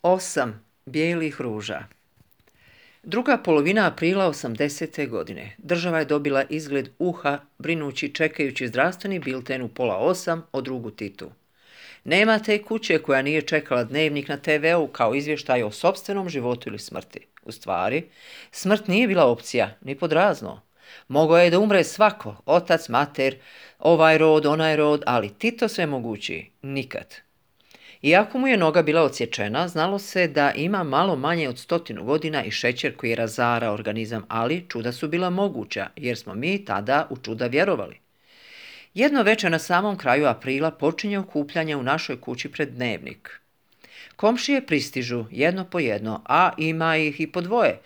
8 bijelih ruža. Druga polovina aprila 80. godine. Država je dobila izgled uha, brinući čekajući zdravstveni bilten u 7:30 o drugu Titu. Nema te kuće koja nije čekala dnevnik na TV-u kao izvještaj o sopstvenom životu ili smrti. U stvari, smrt nije bila opcija, ni pod razno. Mogao je da umre svako, otac, mater, ovaj rod, onaj rod, ali Tito sve mogući, nikad. Iako mu je noga bila odsječena, znalo se da ima malo manje od 100 godina i šećer koji razara organizam, ali čuda su bila moguća, jer smo mi tada u čuda vjerovali. Jedno večer na samom kraju aprila počinje okupljanje u našoj kući pred dnevnik. Komšije pristižu jedno po jedno, a ima ih i po dvoje,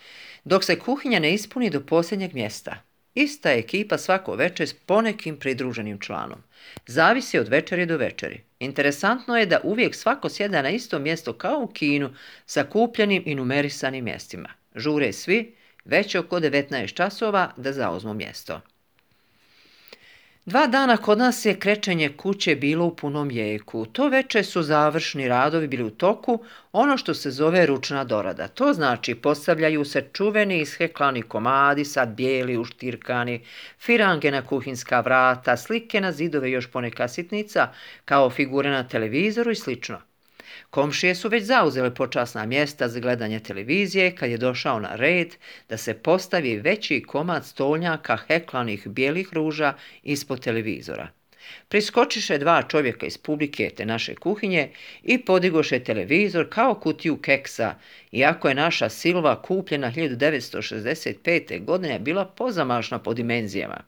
dok se kuhinja ne ispuni do posljednjeg mjesta. Ista ekipa svako večer s ponekim pridruženim članom. Zavisi od večeri do večeri. Interesantno je da uvijek svako sjeda na isto mjesto kao u kinu sa kupljenim i numerisanim mjestima. Žure svi, već oko 19 časova da zauzmu mjesto. 2 dana kod nas je krečenje kuće bilo u punom jeku. To večer su završni radovi bili u toku, ono što se zove ručna dorada. To znači postavljaju se čuveni isheklani komadi, sad bijeli, uštirkani, firange na kuhinska vrata, slike na zidove, još poneka sitnica, kao figure na televizoru i slično. Komšije su već zauzele počasna mjesta za gledanje televizije kad je došao na red da se postavi veći komad stolnjaka heklanih bijelih ruža ispod televizora. Priskočiše 2 čovjeka iz publike te naše kuhinje i podigoše televizor kao kutiju keksa, iako je naša Silva kupljena 1965. godine bila pozamašna po dimenzijama.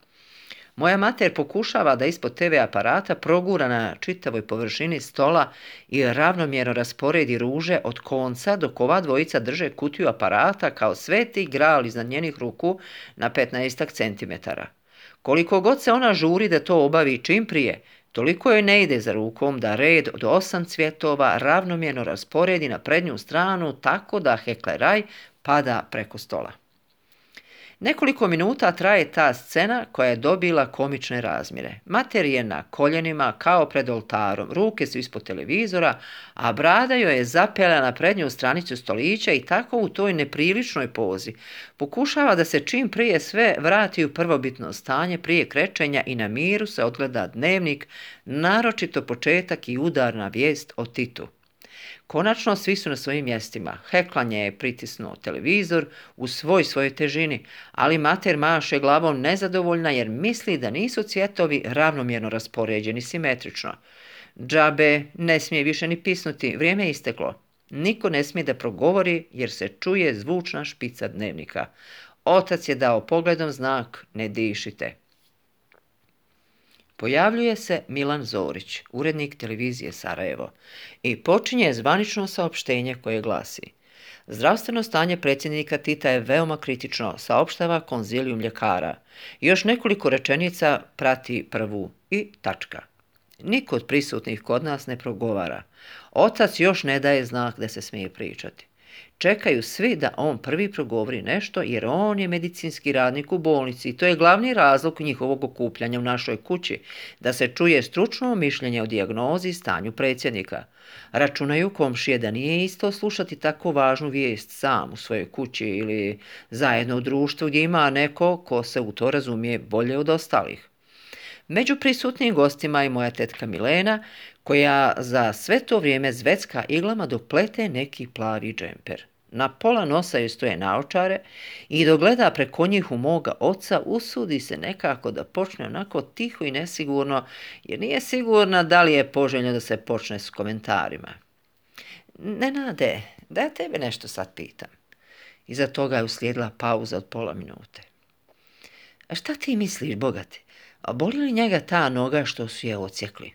Moja mater pokušava da ispod TV aparata progura na čitavoj površini stola i ravnomjerno rasporedi ruže od konca dok ova dvojica drže kutiju aparata kao sveti gral iznad njenih ruku na 15 centimetara. Koliko god se ona žuri da to obavi čim prije, toliko joj ne ide za rukom da red od 8 cvjetova ravnomjerno rasporedi na prednju stranu tako da hekleraj pada preko stola. Nekoliko minuta traje ta scena koja je dobila komične razmjere. Mater je na koljenima kao pred oltarom, ruke su ispod televizora, a brada joj je zapela na prednju stranicu stolića i tako u toj nepriličnoj pozi pokušava da se čim prije sve vrati u prvobitno stanje prije krečenja i na miru se odgleda dnevnik, naročito početak i udarna vijest o Titu. Konačno svi su na svojim mjestima. Heklanje je pritisnuo televizor u svojoj težini, ali mater maše glavom nezadovoljna jer misli da nisu cvjetovi ravnomjerno raspoređeni simetrično. Džabe ne smije više ni pisnuti, vrijeme je isteklo. Niko ne smije da progovori jer se čuje zvučna špica dnevnika. Otac je dao pogledom znak ne dišite. Pojavljuje se Milan Zorić, urednik televizije Sarajevo, i počinje zvanično saopštenje koje glasi: zdravstveno stanje predsjednika Tita je veoma kritično, saopštava konzilijum ljekara. Još nekoliko rečenica prati prvu i tačka. Niko od prisutnih kod nas ne progovara. Otac još ne daje znak da se smije pričati. Čekaju svi da on prvi progovori nešto jer on je medicinski radnik u bolnici i to je glavni razlog njihovog okupljanja u našoj kući, da se čuje stručno mišljenje o dijagnozi i stanju predsjednika. Računaju komšije da nije isto slušati tako važnu vijest sam u svojoj kući ili zajedno u društvu gdje ima neko ko se u to razumije bolje od ostalih. Među prisutnim gostima je moja tetka Milena, koja za sve to vrijeme zvecka iglama dok plete neki plavi džemper. Na pola nosa joj stoje naočare i dok gleda preko njih u moga oca, usudi se nekako da počne onako tiho i nesigurno, jer nije sigurna da li je poželjno da se počne s komentarima. Nenade, da ja tebe nešto sad pitam. Iza toga je uslijedila pauza od pola minute. A šta ti misliš, bogati? A boli li njega ta noga što su je odsjekli?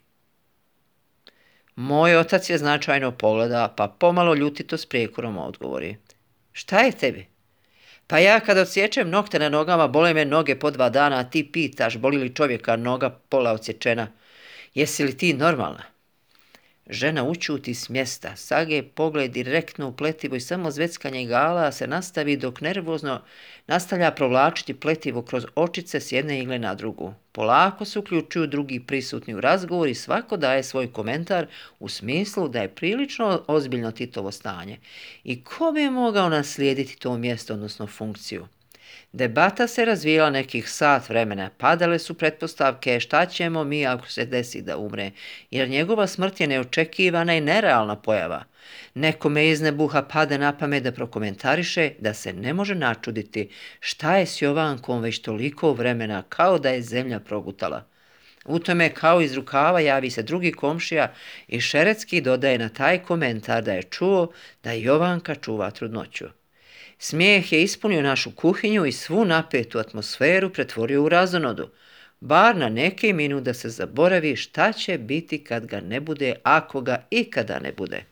Moj otac je značajno pogleda, pa pomalo ljutito s prijekorom odgovori. Šta je tebi? Pa ja kad odsječem nokte na nogama, bole me noge po 2 dana, a ti pitaš boli li čovjeka noga pola odsječena. Jesi li ti normalna? Žena učuti s mjesta, sage pogled direktno u pletivo i samo zveckanje igala se nastavi dok nervozno nastavlja provlačiti pletivo kroz očice s jedne igle na drugu. Polako se uključuju drugi prisutni u razgovor i svako daje svoj komentar u smislu da je prilično ozbiljno Titovo stanje. I ko bi mogao naslijediti to mjesto, odnosno funkciju? Debata se razvijala nekih sat vremena, padale su pretpostavke šta ćemo mi ako se desi da umre, jer njegova smrt je neočekivana i nerealna pojava. Nekome iz nebuha pade na pamet da prokomentariše da se ne može načuditi šta je s Jovankom već toliko vremena kao da je zemlja progutala. U tome kao iz rukava javi se drugi komšija i šeretski dodaje na taj komentar da je čuo da Jovanka čuva trudnoću. Smijeh je ispunio našu kuhinju i svu napetu atmosferu pretvorio u razonodu, bar na neki minut da se zaboravi šta će biti kad ga ne bude, ako ga ikada ne bude.